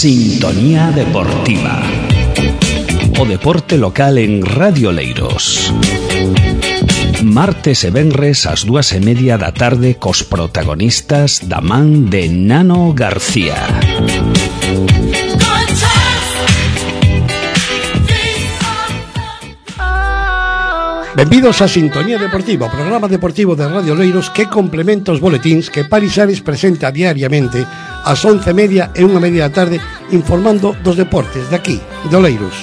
Sintonía Deportiva. O deporte local en Radio Oleiros. Martes e venres ás 2:30 da tarde cos protagonistas da man de Nano García. Benvidos a Sintonía Deportiva, o programa deportivo de Radio Oleiros que complementa os boletíns que Paris Ares presenta diariamente ás 11:30 e 1:30 da tarde, informando dos deportes de aquí, de Oleiros.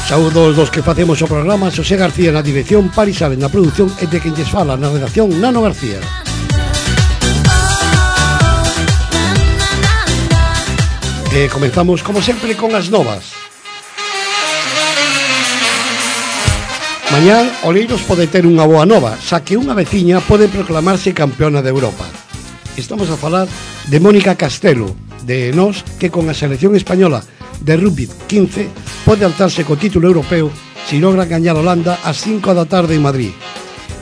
Saúdos dos que facemos o programa: Xosé García na dirección, Paris Ares na produción e de quen lles fala na redacción, Nano García. E comenzamos, como sempre, con as novas. Mañán, Oleiros pode ter unha boa nova, xa que unha veciña pode proclamarse campeona de Europa. Estamos a falar de Mónica Castelo, de Nós, que con a selección española de rugby 15 pode alzarse co título europeo se logra gañar Holanda ás 5 da tarde en Madrid.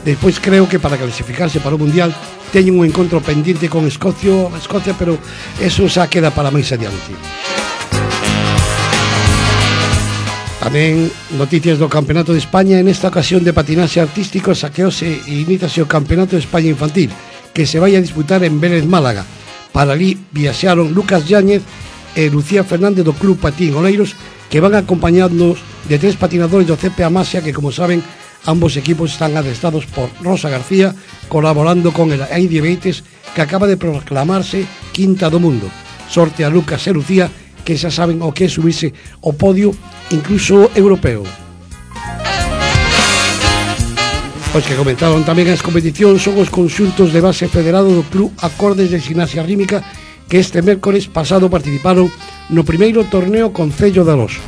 Despois creo que para clasificarse para o Mundial teñen un encontro pendiente con Escocia, pero eso xa queda para máis adiante. Tamén noticias do Campeonato de España, en esta ocasión de patinaxe artístico saqueose e iníciase o Campeonato de España Infantil, que se vai a disputar en Vélez, Málaga. Para ali viaxaron Lucas Yáñez e Lucía Fernández do Club Patín Oleiros, que van acompañados de 3 patinadores do CP Amasia, que, como saben, ambos equipos están adestrados por Rosa García, colaborando con el Heidi Beites, que acaba de proclamarse quinta do mundo. Sorte a Lucas e Lucía, que xa saben o que é subirse ao podio, incluso europeo. Os que comentaron tamén as competicións son os conxuntos de base federado do Club Acordes de Gimnasia Rítmica, que este mércores pasado participaron no primeiro torneo Concello de Aroso.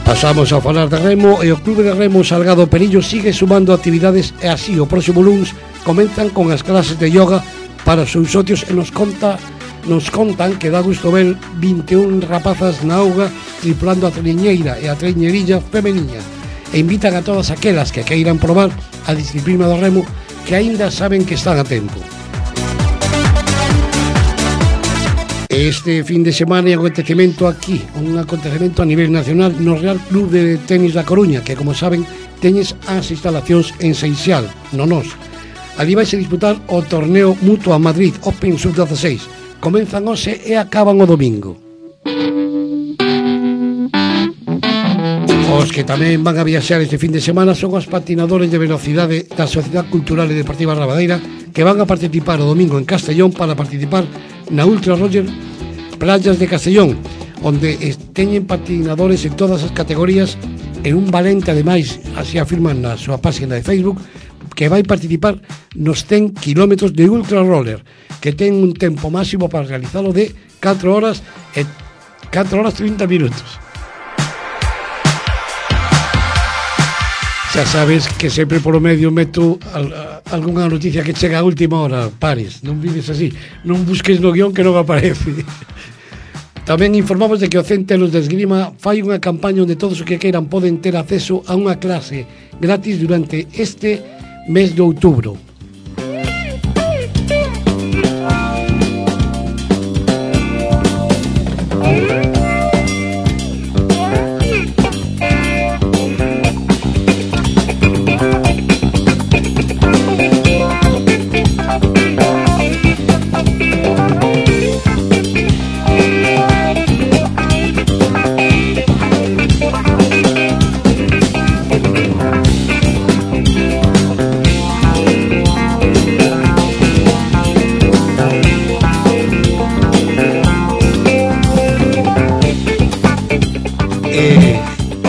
Pasamos a falar de remo, e o Club de Remo Salgado Perillo sigue sumando actividades, e así o próximo luns comenzan con as clases de yoga para os seus socios, e nos contan que dá gusto ver 21 rapazas na auga tripulando a triñeira e a triñerilla femeniña, e invitan a todas aquelas que queiran probar a disciplina do remo, que aínda saben que están a tempo. Este fin de semana é un acontecemento aquí, un acontecemento a nivel nacional no Real Club de Tenis da Coruña, que, como saben, teñes as instalacións en Seixal, no Nós. Ali vai se disputar o torneo Mutua Madrid Open Sub-16. Comenzan hoxe e acaban o domingo. Os que tamén van a viaxar este fin de semana son os patinadores de velocidade da Sociedade Cultural e Deportiva Rabadeira, que van a participar o domingo en Castellón para participar na Ultra Roger Playas de Castellón, onde teñen patinadores en todas as categorías, en un valente, ademais, así afirman na súa página de Facebook, que vai participar nos 100 kilómetros de Ultra Roller, que ten un tempo máximo para realizalo de 4 horas 30 minutos. Xa sabes que sempre polo medio meto algunha noticia que chega a última hora, Paris, non vives así, non busques no guión que non aparece. Tamén informamos de que o Centelos de Esgrima fai unha campaña onde todos os que queiran poden ter acceso a unha clase gratis durante este mes de outubro.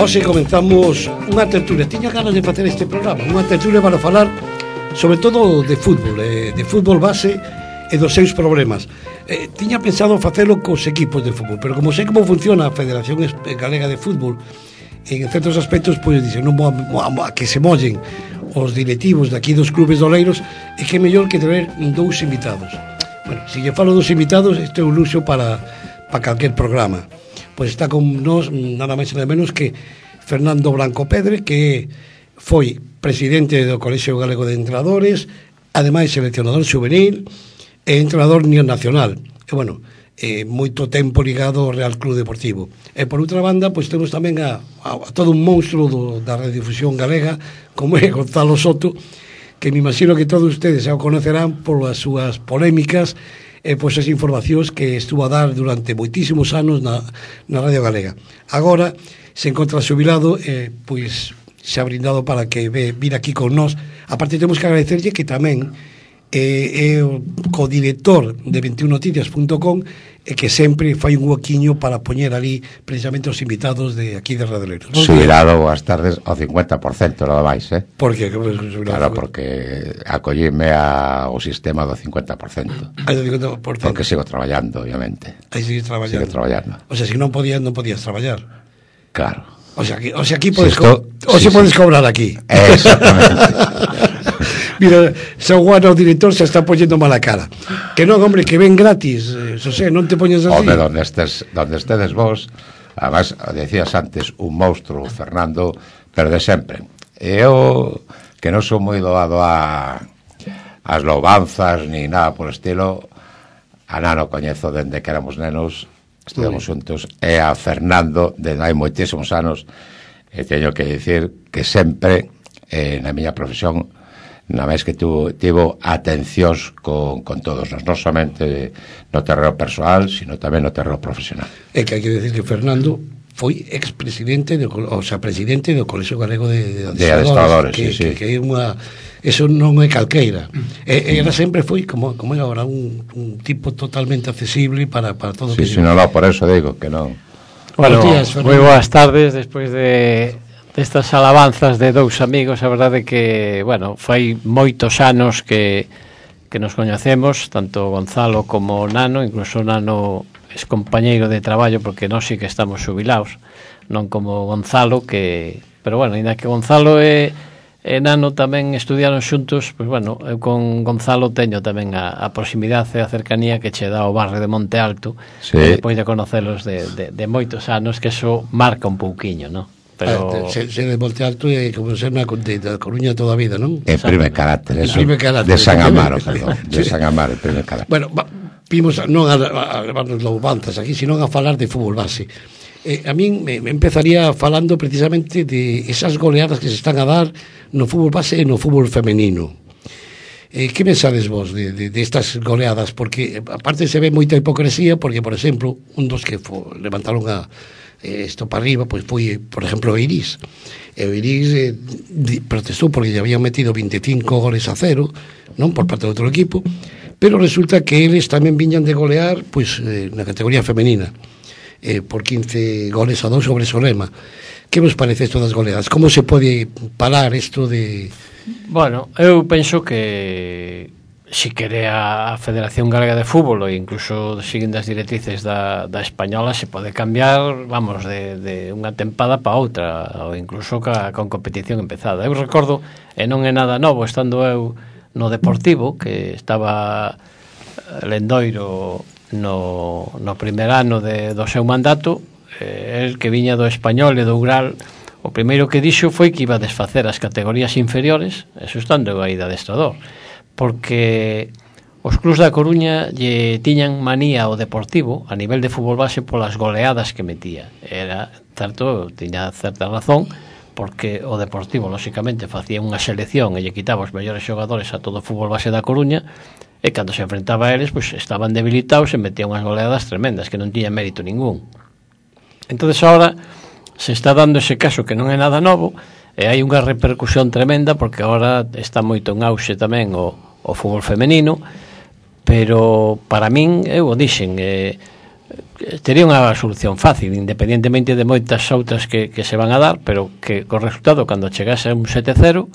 Hoxe comenzamos unha tertulia. Tiña ganas de facer este programa, unha tertulia para falar sobre todo de fútbol base e dos seus problemas. Tiña pensado facelo cos equipos de fútbol, pero como sei como funciona a Federación Galega de Fútbol, en certos aspectos, pois dicen, non a que se mollen os directivos de aquí dos clubes de Oleiros, e que é mellor que ter 2 invitados. Bueno, se lle falo dos invitados, este é un luxo para calquer programa. Pois está con nós nada máis e nada menos que Fernando Blanco Pedre, que foi presidente do Colexio Galego de Entrenadores, ademais seleccionador juvenil e entrenador nivel nacional. E, bueno, moito tempo ligado ao Real Club Deportivo. E por outra banda, pois temos tamén a todo un monstro da radiodifusión galega, como é Gonzalo Soto, que me imagino que todos ustedes xa o conocerán por as súas polémicas e pois as informacións que estuvo a dar durante moitísimos anos na Radio Galega. Agora se encontra xubilado e pois se ha brindado para que vir aquí con nós. Aparte temos que agradecerlle que tamén é o codirector de 21noticias.com e que sempre fai un huequiño para poñer ali precisamente os invitados de aquí de Radoleiros. Xubilado boas tardes ao 50% nada máis, Por que? Claro, porque acollíme ao sistema do 50%. Porque sigo traballando, obviamente. Aí sigues traballando. Sigo traballando. O sea, se non podías traballar. Claro. O sea, aquí podes podes cobrar aquí. Exactamente. Mira, San Juan, o director, se está poñendo mala cara. Que non, hombre, que ven gratis, Xosé, non te poñes así. Home, donde estedes vos, además, decías antes, un monstruo, Fernando, pero de sempre. Eu, que non sou moi doado as louvanzas, ni nada por estilo, a Nano coñezo dende que éramos nenos, estivemos xuntos, e a Fernando, dende hai moitísimos anos, e teño que dicir que sempre, na miña profesión, na vez que tivo atencións con todos nós, non somente no terreno persoal, sino tamén no terreno profesional. É que hai que decir que Fernando foi expresidente, presidente do Colexio Galego de Adestradores, sí. Que é unha... Eso non é calqueira. Era sempre foi, como é agora, un tipo totalmente accesible para todo o que... Sí, non, por eso digo que non. Bueno, moi boas tardes, despois destas alabanzas de dous amigos. A verdade que, bueno, fai moitos anos que nos coñecemos, tanto Gonzalo como Nano, incluso Nano es compañeiro de traballo, porque nós sí que estamos xubilados, non como Gonzalo, pero bueno, ainda que Gonzalo e Nano tamén estudiaron xuntos, pois bueno, eu con Gonzalo teño tamén a proximidade e a cercanía que che dá o barrio de Monte Alto, sí. Depois de conocelos de moitos anos, que eso marca un pouquiño, non? Pero... Ser de Monte Alto é como ser na Coruña toda a vida, non? En primer carácter, eso. De San Amaro, perdón. De San Amaro, en primer carácter. Bueno, vimos non a levarnos louvanzas aquí, sino a falar de fútbol base. A min me empezaría falando precisamente de esas goleadas que se están a dar no fútbol base e no fútbol femenino. Que pensades vos de estas goleadas? Porque aparte se ve moita hipocresía, porque, por exemplo, un dos que levantaron isto para arriba, pois foi, por exemplo, o Iris. E o Iris protestou porque lle habían metido 25 goles a 0, non, por parte do outro equipo, pero resulta que eles tamén viñan de golear pois na categoría femenina, por 15 goles a 2 sobre Solema. Que vos parece isto das goleadas? Como se pode parar isto de... Bueno, eu penso que si quere a Federación Galega de Fútbol, e incluso seguindo as directrices da española, se pode cambiar, vamos, de unha tempada para outra, ou incluso con competición empezada. Eu recordo, e non é nada novo, estando eu no Deportivo, que estaba Lendoiro no primer ano do seu mandato, el que viña do Español e do Ural, o primeiro que dixo foi que iba a desfacer as categorías inferiores, eso estando aí de adestrador, porque os clubs da Coruña lle tiñan manía ao Deportivo a nivel de fútbol base polas goleadas que metía. Era certo, tiña certa razón, porque o Deportivo lóxicamente facía unha selección e lle quitaba os mellores xogadores a todo o fútbol base da Coruña, e cando se enfrentaba a eles, pois estaban debilitados e metían unhas goleadas tremendas que non tiñan mérito ningún. Entonces agora se está dando ese caso que non é nada novo, e hai unha repercusión tremenda, porque agora está moito en auxe tamén o fútbol femenino, pero para min, eu o dixen, tería unha solución fácil, independentemente de moitas outras que se van a dar, pero que co resultado, cando chegase a un 7-0,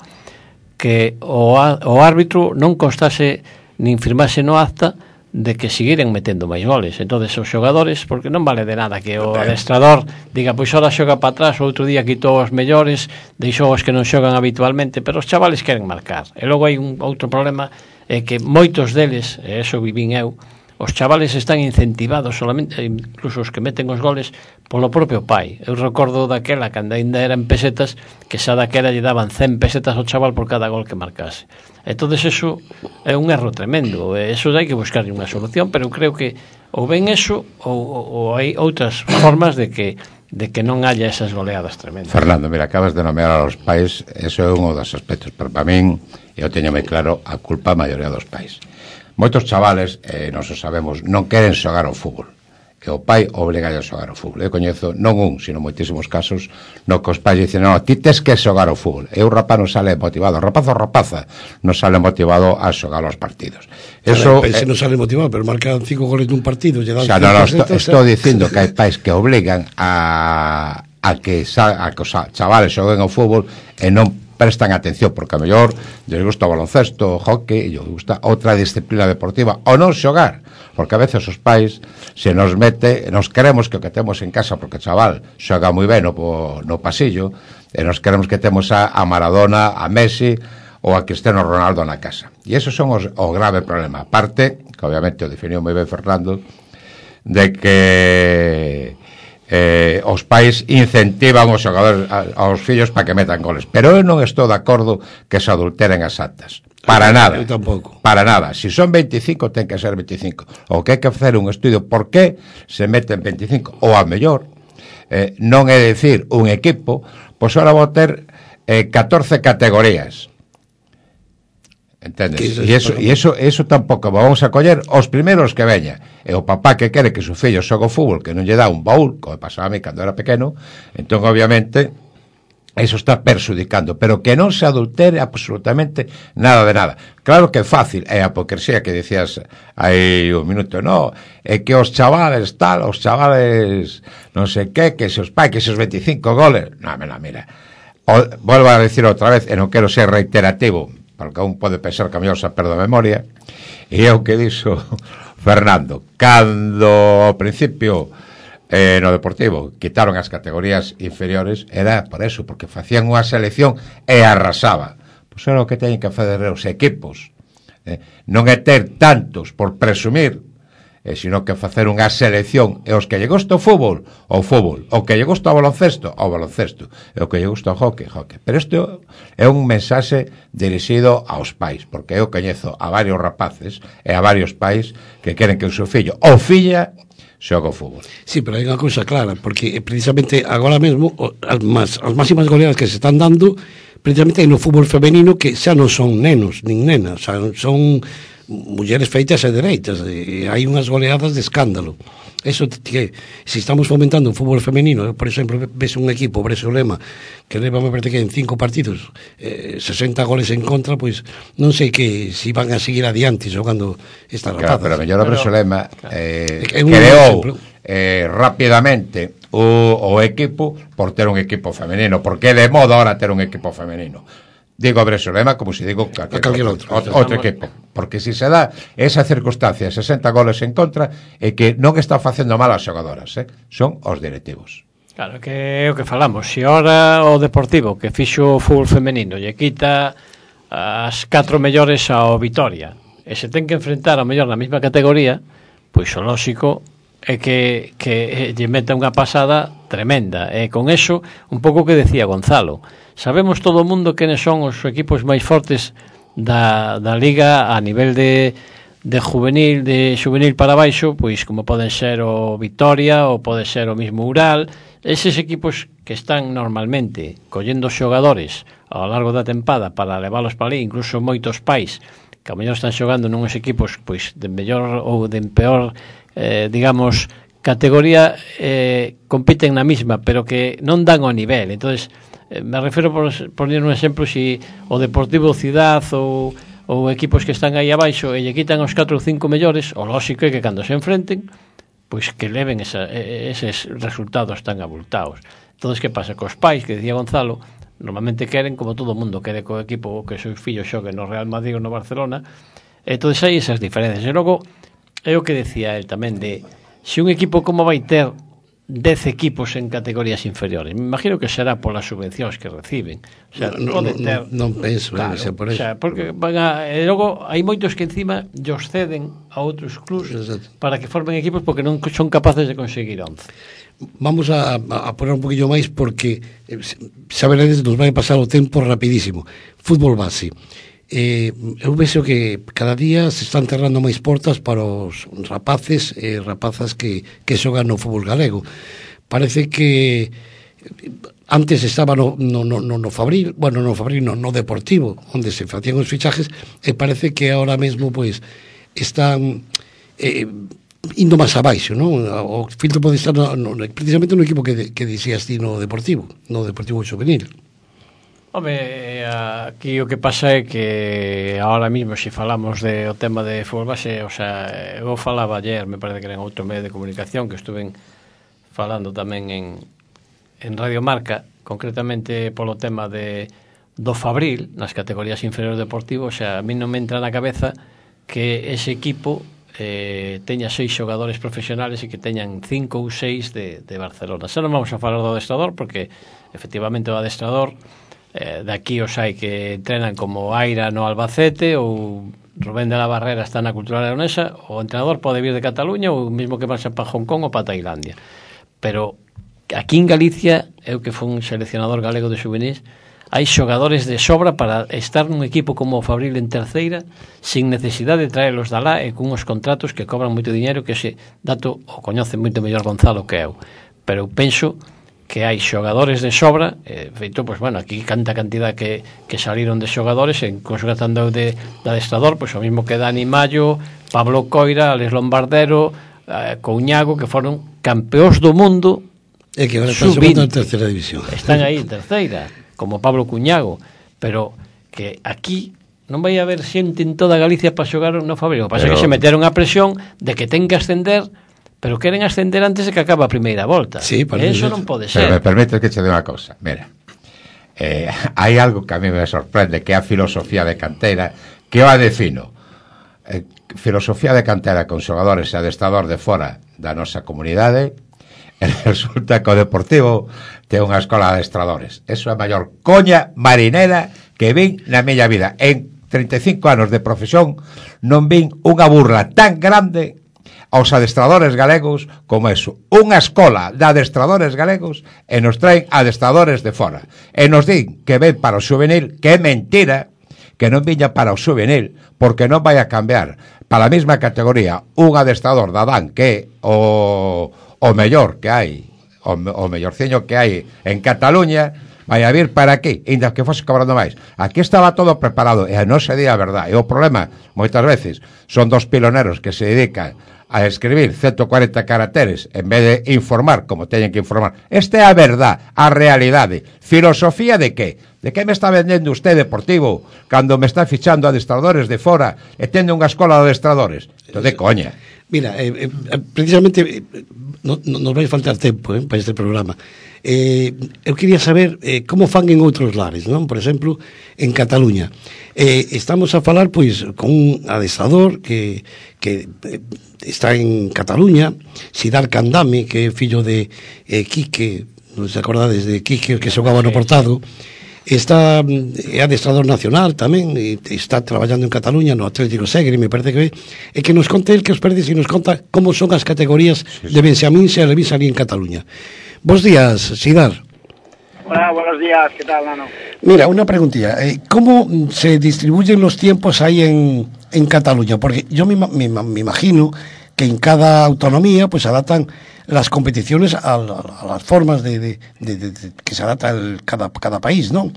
que o árbitro non constase nin firmase no acta de que seguiren metendo máis goles. Entonces os xogadores, porque non vale de nada que o adestrador diga, pois ora xoga para atrás, o outro día quitou os mellores, deixou os que non xogan habitualmente, pero os chavales queren marcar. E logo hai un outro problema, é que moitos deles, e eso vivín eu, os chavales están incentivados solamente, incluso os que meten os goles, polo propio pai. Eu recordo daquela, cando ainda eran pesetas, que xa daquela lle daban 100 pesetas ao chaval por cada gol que marcase. Entonces eso é un erro tremendo, eso hai que buscar unha solución, pero creo que ou ben eso ou hai outras formas de que non haya esas goleadas tremendas. Fernando, mira, acabas de nomear aos pais, eso é un dos aspectos, pero para min, eu teño moi claro, a culpa a maioría dos pais. Moitos chavales, non o sabemos, non queren xogar ao fútbol, que o pai obliga a xogar ao fútbol. Eu coñezo non un, sino moitísimos casos no que os pais dicen, non, ti tes que xogar ao fútbol, e o rapaz non sale motivado, o rapaz ou rapaza non sale motivado a xogar aos partidos. Eso non sale motivado, pero marcan 5 goles nun partido, lle dan xa, estou dicindo que hai pais que obligan a que os chavales xoguen ao fútbol e non prestan atención, porque a mellor lles gusta o baloncesto, o hockey, e lles gusta outra disciplina deportiva, ou non xogar, porque a veces os pais se nos mete, nos queremos que o que temos en casa, porque o chaval xoga moi ben no pasillo, e nos queremos que temos a Maradona, a Messi ou a Cristiano Ronaldo na casa, e esos son o grave problema, aparte, que obviamente o definiu moi ben Fernando, de que os pais incentivan os xogadores aos fillos para que metan goles, pero eu non estou de acordo que se adulteren as actas, para nada, eu tampouco, para nada. Si son 25 ten que ser 25, o que hai que facer un estudio por que se meten 25, ou a mellor non é dicir un equipo, pois ahora vou ter 14 categorías, entendes? E eso tampouco vamos a coller os primeiros que veña. E o papá que quere que su fillo xogue o fútbol, que non lle dá un baúl, como pasaba a mí cando era pequeno, entón obviamente eso está perxudicando, pero que non se adultere absolutamente nada de nada. Claro que é fácil, é a hipocresía que dicías aí un minuto, no, é que os chavales tal, os chavales non sei que se os pais, que se os 25 goles, mira, volvo a decir outra vez, e non quero ser reiterativo, porque un pode pensar que a mellor se perde a memoria, e é o que dixo Fernando, cando ao principio no Deportivo quitaron as categorías inferiores, era por eso, porque facían unha selección e arrasaba. Pois era o que teñen que fazer os equipos, non é ter tantos por presumir, sino que facer unha selección, e os que lle gusta o fútbol, o que lle gusta o baloncesto, e o que lle gusta o hockey. Pero isto é un mensaxe dirixido aos pais, porque eu coñezo a varios rapaces e a varios pais que queren que o seu fillo ou filla xoga o fútbol. Sí, pero hai unha cousa clara, porque precisamente agora mesmo as máximas goleadas que se están dando precisamente no fútbol femenino, que xa non son nenos nin nenas, son mulleres feitas e dereitas, e hai unhas goleadas de escándalo. Eso que, se estamos fomentando o fútbol femenino, por exemplo, ves un equipo, Bresolema, que leva, me parece que en 5 partidos 60 goles en contra, pois non sei que si van a seguir adiante xogando esta rapazas. Claro, pero a mellor o Bresolema creou rapidamente o equipo por ter un equipo femenino, porque é de moda ahora ter un equipo femenino. Digo a Bresolema como se digo calquer outro equipo, porque se dá esa circunstancia, 60 goles en contra, é que non está facendo mal as xogadoras, son os directivos. Claro, que é o que falamos. Se ora o Deportivo, que fixo o fútbol femenino, lle quita as 4 mellores ao Vitoria, e se ten que enfrentar ao mellor na mesma categoría, pois o lóxico é que lle meta unha pasada tremenda. E con eso, un pouco que decía Gonzalo, sabemos todo o mundo quenes son os equipos máis fortes da Liga a nivel de juvenil para baixo, pois como poden ser o Vitoria ou pode ser o mismo Ural, eses equipos que están normalmente collendo xogadores ao largo da tempada para leválos para ali, incluso moitos pais que a mellor están xogando nuns equipos pois de mellor ou de peor digamos categoría, compiten na mesma, pero que non dan o nivel. Entonces me refiro por poner un exemplo, si o Deportivo Cidad ou equipos que están aí abaixo e lle quitan os 4 ou 5 mellores, o lóxico é que cando se enfrenten, pois que leven eses resultados tan abultados. Entonces, que pasa? Cos pais, que decía Gonzalo, normalmente queren, como todo o mundo quere co equipo que seu fillo xogue no Real Madrid ou no Barcelona, entonces hai esas diferencias. E logo, é o que decía el tamén, de se un equipo como vai ter 10 equipos en categorías inferiores. Me imagino que será polas subvencións que reciben. O sea, non penso, claro, que sea por eso. O sea, porque e logo hai moitos que encima os ceden a outros clubs para que formen equipos porque non son capaces de conseguir 11. Vamos a poner un poquillo máis porque saberedes, nos vai pasar o tempo rapidísimo. Fútbol base. Eu vexo que cada día se están cerrando máis portas para os rapaces e rapazas que xogan no fútbol galego. Parece que antes estaba no Fabril, bueno, no Fabril, no Deportivo, onde se facían os fichajes, e parece que ahora mesmo pois están indo máis abaixo, non? O filtro pode estar precisamente no equipo que dixías ti no Deportivo Juvenil. Home, aquí o que pasa é que ahora mismo, se falamos o tema de fútbol base, o sea, eu falaba ayer, me parece que era en outro medio de comunicación, que estuve falando tamén en Radio Marca, concretamente polo tema do Fabril, nas categorías inferiores deportivos. O sea, a mí non me entra na cabeza que ese equipo teña 6 xogadores profesionales e que teñan 5 ou 6 de Barcelona. Xa non vamos a falar do adestrador, porque efectivamente o adestrador de aquí os hai que entrenan como Aira no Albacete ou Rubén de la Barrera está na Cultural Leonesa. O entrenador pode vir de Cataluña ou mesmo que marcha para Hong Kong ou para Tailandia. Pero aquí en Galicia, eu que fui un seleccionador galego de juvenis, hai xogadores de sobra para estar nun equipo como o Fabril en terceira sin necesidade de traerlos de alá e cunhos contratos que cobran moito dinheiro, que ese dato o coñece moito mellor Gonzalo que eu. Pero eu penso que hai xogadores de sobra, feito, pois, bueno, aquí canta cantidad que saliron de xogadores, incluso gastando de adestrador, pois o mismo que Dani Mallo, Pablo Coira, Alex Lombardero, Couñago, que foron campeóns do mundo e que agora están xogando en terceira división. Están aí en terceira, como Pablo Couñago, pero que aquí non vai haber xente en toda Galicia para xogar no Fabril. O que pasa é que se meteron a presión de que ten que ascender, pero queren ascender antes de que acabe a primeira volta. Sí, eso non pode ser. Pero me permite que che dé unha cousa. Mira, hai algo que a mí me sorprende, que é a filosofía de cantera, que eu a defino. Filosofía de cantera con xogadores e adestrador de fora da nosa comunidade, e resulta que o Deportivo ten unha escola de adestradores. Eso é a maior coña marinera que vin na miña vida. En 35 anos de profesión non vin unha burla tan grande aos adestradores galegos como eso. Unha escola de adestradores galegos e nos traen adestradores de fora. E nos din que ven para o juvenil, que é mentira, que non viña para o juvenil, porque non vai a cambiar para a mesma categoría un adestrador da Dan, que é o mellor que hai, o mellorciño que hai en Cataluña, vai a vir para aquí, ainda que fose cobrando máis. Aquí estaba todo preparado, e non se di a verdade. E o problema, moitas veces, son dos piloneros que se dedican a escribir 140 caracteres en vez de informar como teñen que informar. Esta é a verdade, a realidade. Filosofía de que? De que me está vendendo usted Deportivo cando me está fichando adestradores de fora e tendo unha escola de adestradores? Isto de coña. Mira, precisamente nos vai faltar tempo para este programa. Eu quería saber como fan en outros lares, non? Por exemplo, en Cataluña. Estamos a falar, pois, con un adestrador que está en Cataluña, Sidar Candame, que é fillo de Quique, non se acordades de Quique, que xogaba no Portado. Está adestrador nacional tamén, e está traballando en Cataluña no Atlético Segre, me parece que é que nos conte el que os perdes e nos conta como son as categorías de Benxamín e Alevín ali en Cataluña. Bos días, Sidar. Hola, buenos días, ¿qué tal, Nano? Mira, una preguntilla, ¿cómo se distribuyen los tiempos ahí en Cataluña? Porque yo me imagino que en cada autonomía pues adaptan las competiciones a las formas de que se adapta cada país, ¿no?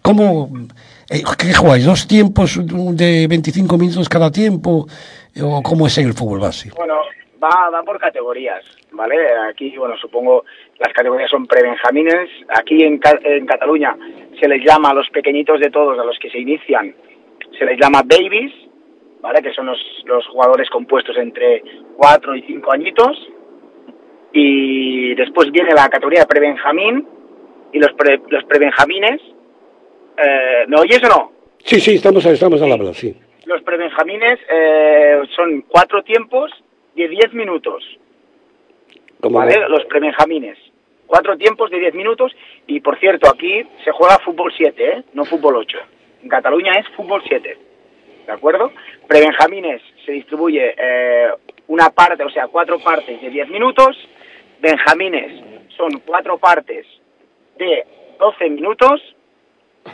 ¿Cómo, qué jugáis? ¿2 tiempos de 25 minutos cada tiempo? ¿O cómo es en el fútbol base? Bueno, va por categorías, ¿vale? Aquí, bueno, supongo las categorías son prebenjamines. Aquí en Cataluña se les llama a los pequeñitos de todos, a los que se inician, se les llama babies, ¿vale? Que son los jugadores compuestos entre 4 y 5 añitos. Y después viene la categoría de prebenjamín y los prebenjamines. ¿Me oyes o no? Sí, estamos al habla, sí. Los prebenjamines son 4 tiempos de 10 minutos. ¿vale? Los prebenjamines. 4 tiempos de 10 minutos y, por cierto, aquí se juega fútbol 7, no fútbol 8. En Cataluña es fútbol 7, ¿de acuerdo? Prebenjamines se distribuye una parte, o sea, 4 partes de 10 minutos. Benjamines son 4 partes de 12 minutos,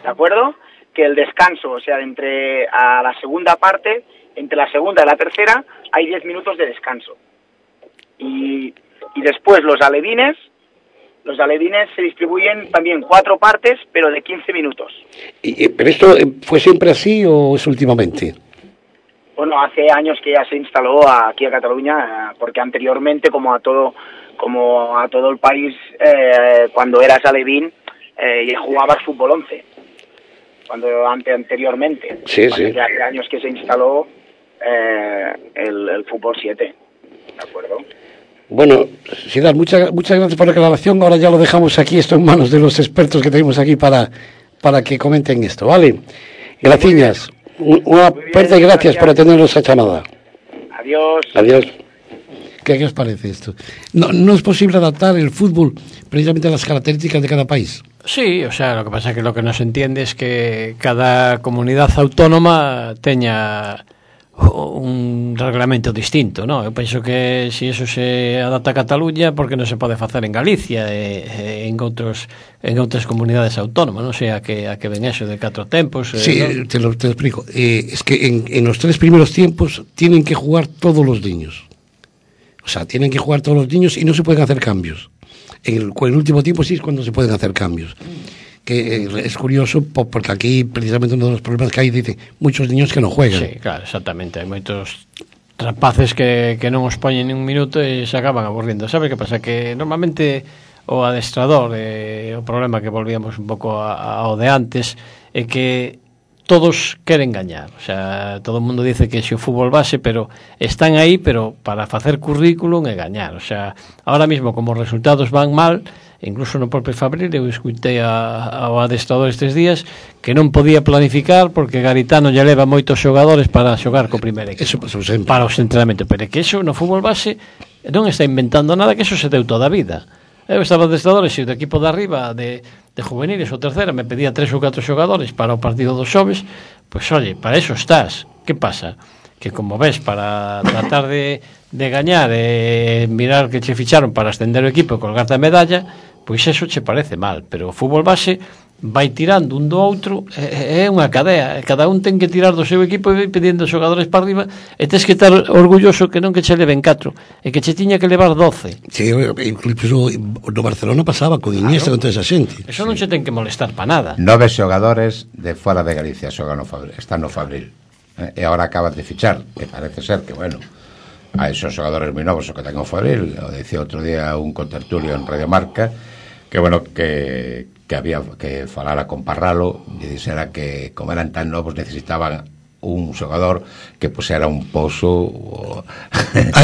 ¿de acuerdo? Que el descanso, o sea, entre a la segunda parte, entre la segunda y la tercera, hay 10 minutos de descanso. Y después los alevines se distribuyen también 4 partes, pero de 15 minutos. ¿Pero esto fue siempre así o es últimamente? Bueno, hace años que ya se instaló aquí a Cataluña, porque anteriormente, como a todo el país, cuando eras alevín, jugabas fútbol 11. Anteriormente. Sí. Hace años que se instaló el fútbol 7. ¿De acuerdo? Bueno, Sidar, muchas gracias por la aclaración. Ahora ya lo dejamos aquí, esto en manos de los expertos que tenemos aquí para que comenten esto, ¿vale? Gracias. Una fuerte gracias por atendernos a llamada. Adiós. ¿Qué os parece esto? ¿No es posible adaptar el fútbol precisamente a las características de cada país? Sí, o sea, lo que pasa es que lo que no se entiende es que cada comunidad autónoma teña un reglamento distinto, ¿no? Eu penso que se eso se adapta a Cataluña, porque non se pode facer en Galicia en outras comunidades autónomas, non sei a que ven eso de 4 tempos. Sí, ¿no? te lo explico. Es que en los 3 primeros tiempos tienen que jugar todos los niños. O sea, tienen que jugar todos los niños y no se pueden hacer cambios. En el último tiempo sí es cuando se pueden hacer cambios. Que es curioso porque aquí precisamente uno de los problemas que hay, dice, muchos niños que no juegan. Sí, claro, exactamente, hai moitos rapaces que non os poñen nin un minuto e se acaban aburrindo. Sabe que pasa? Que normalmente o adestrador, o problema que volvíamos un pouco ao de antes, é que todos queren gañar, o sea, todo o mundo dice que xe o fútbol base, pero están aí, pero para facer currículum e gañar, o sea, ahora mismo como os resultados van mal, incluso no propio Fabril, eu escutei ao adestrador estes días que non podía planificar porque Garitano lle leva moitos xogadores para xogar co primeiro equipo. Eso pasou sempre. Para os entrenamentos, pero é que eso no fútbol base non está inventando nada, que eso se deu toda a vida. Eu estaba adestrador e se o do equipo de arriba de juveniles ou terceira me pedía 3 ou 4 xogadores para o partido dos xoves, pois oye, para eso estás. Que pasa? Que como ves, para tratar de gañar e mirar que che ficharon para ascender o equipo e colgarte a medalla, pois eso che parece mal, pero o fútbol base vai tirando un do outro, é unha cadea, cada un ten que tirar do seu equipo e vai pedindo xogadores para arriba e tens que estar orgulloso que non que che leven 4 e que che tiña que levar 12. Sí, incluso no Barcelona pasaba con Iniesta, con toda esa xente. Eso non che ten que molestar para nada. 9 xogadores de fora de Galicia xogan están no Fabril, e agora acaban de fichar, que parece ser que, bueno, hai son xogadores moi novos o que ten o Fabril. O dicía outro día un contertulio en Radio Marca que, bueno, que había que falara con Parralo e dixera que como eran tan novos necesitaban un xogador que pusera un pozo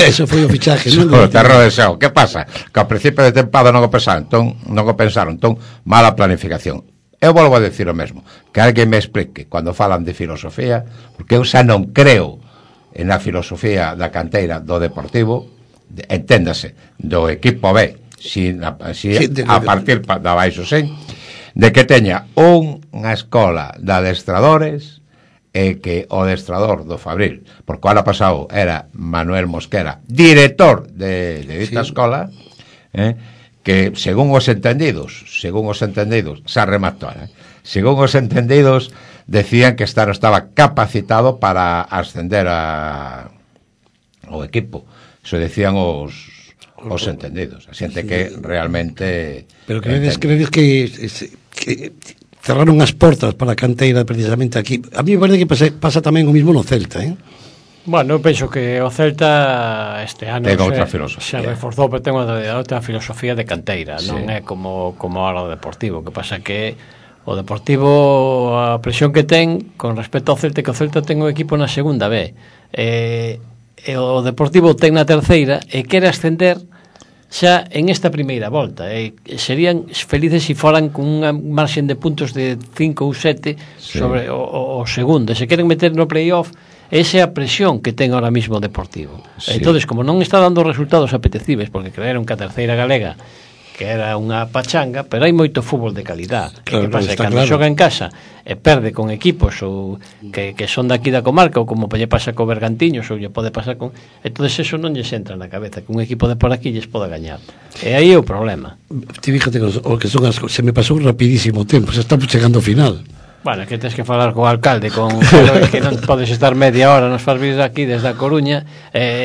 eso foi o fichaje, non? O terror de xao. Que pasa? Que ao principio de tempada non o pensaron, entón mala planificación. Eu volvo a decir o mesmo, que alguén me explique cando falan de filosofía, porque eu xa non creo en a filosofía da canteira do Deportivo, enténdase, do equipo B, a partir da baixo sen, de que teña unha escola de adestradores e que o adestrador do Fabril, porque o ano pasado era Manuel Mosquera, director de esta escola, que según os entendidos xa rematou, según os entendidos decían que estaba capacitado para ascender ao equipo. Eso decían os entendidos, a xente que realmente. Pero credes que cerraron as portas para a canteira precisamente aquí? A mí me parece que pasa tamén o mismo no Celta, Bueno, eu penso que o Celta este ano se reforzou, pero ten outra filosofía de canteira, non é como ahora o Deportivo, que pasa que o Deportivo, a presión que ten con respecto ao Celta, que o Celta ten un equipo na segunda B, e o Deportivo ten na terceira e quere ascender xa en esta primeira volta, serían felices se foran con unha marxen de puntos de 5 ou 7 sobre o segundo, se queren meter no playoff. Esa é a presión que ten ahora mismo o Deportivo. Entonces, como non está dando resultados apetecibles, porque creeron que a terceira galega que era unha pachanga, pero hai moito fútbol de calidad. Claro, que pasa? Cando xoga en casa e perde con equipos ou que son daqui da comarca, ou como lle pasa co Bergantiños, ou lle pode pasar con... Entonces eso non lles entra na cabeza, que un equipo de por aquí lles pode gañar. E aí é o problema. Ti fíjate que son as... Se me pasou rapidísimo o tempo, se estamos chegando ao final. Bueno, que tens que falar co alcalde, con que non podes estar media hora, nos faz vir aquí desde a Coruña,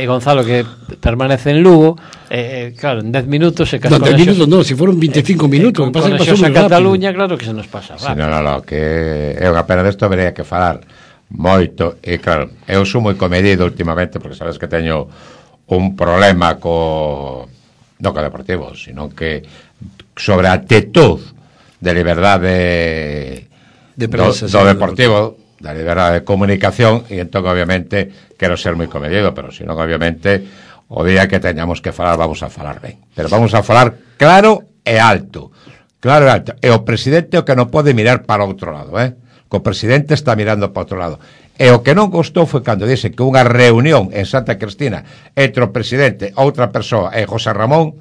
Gonzalo que permanece en Lugo, claro, en 10 minutos se casou. No, 10 minutos non, se foron 25 minutos, con conexións a Cataluña, claro que se nos pasa. Sí, no, que é unha pena desto, vería que falar moito, e claro, eu sou moi comedido últimamente, porque sabes que teño un problema non co Deportivo, sino que sobre a actitud de liberdade de prensa, do Deportivo, da liberdade de comunicación, e entón obviamente quero ser moi comedido, pero senón obviamente o día que teñamos que falar vamos a falar ben, pero vamos a falar claro e alto, e o presidente o que non pode mirar para outro lado, que o presidente está mirando para outro lado, e o que non gostou foi cando dise que unha reunión en Santa Cristina entre o presidente, outra persoa e José Ramón,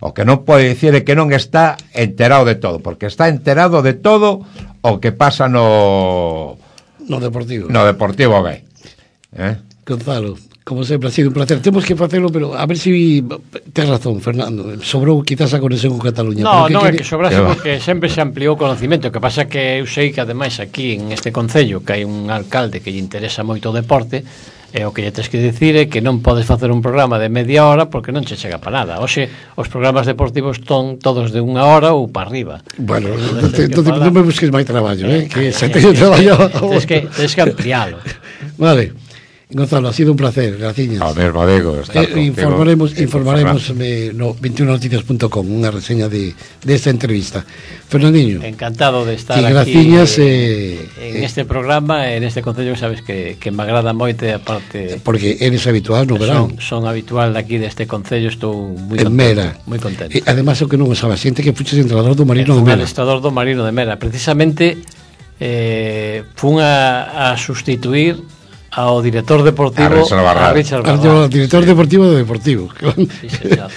o que non pode dicir é que non está enterado de todo, porque está enterado de todo o que pasa no Deportivo. No Deportivo B. Gonzalo, como sempre, ha sido un placer. Temos que facelo, pero a ver si tes razón, Fernando. Sobrou quizás a conexión con Cataluña. No, non é que sobrase porque sempre se ampliou o conocimento. O que pasa que eu sei que ademais aquí en este concello que hai un alcalde que lle interesa moito o deporte, e o que lle tens que dicir é que non podes facer un programa de media hora porque non che chega para nada. Hoxe os programas deportivos son todos de unha hora ou para arriba. Bueno, non me busques máis traballo, que se teño traballo. Tens que ampliálo. Vale. Gonzalo, ha sido un placer, graciñas. Ao mesmo digo, informaremos no 21noticias.com unha reseña de esta entrevista. Fernandinho, encantado de estar aquí graciñas, en este programa, en este concello, sabes que me agrada moito, aparte porque eres habitual no verán. Son habitual aquí deste concello, estou moi contento, Mera. Moi contento. E además o que non sabes, xente que fuches entrenador do Marino de Mera. Adestrador do Marino de Mera, precisamente fun a sustituir ao director deportivo a Richard Barral. Director deportivo do Deportivo. Sí, señor.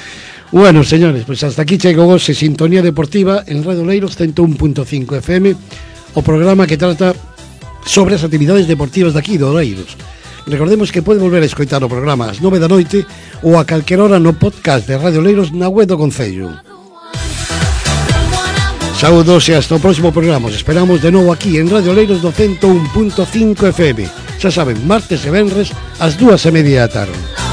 Bueno, señores, pues hasta aquí chegou hoxe Sintonía Deportiva en Radio Leiros 101.5 FM, o programa que trata sobre as actividades deportivas daqui do Leiros. Recordemos que pode volver a escoitar o programa ás 9 da noite ou a calquera hora no podcast de Radio Leiros na web do Concello. Saúdos e hasta o próximo programa. Os esperamos de novo aquí en Radio Leiros do 101.5 FM. Xa saben, martes e venres ás 2:30 da tarde.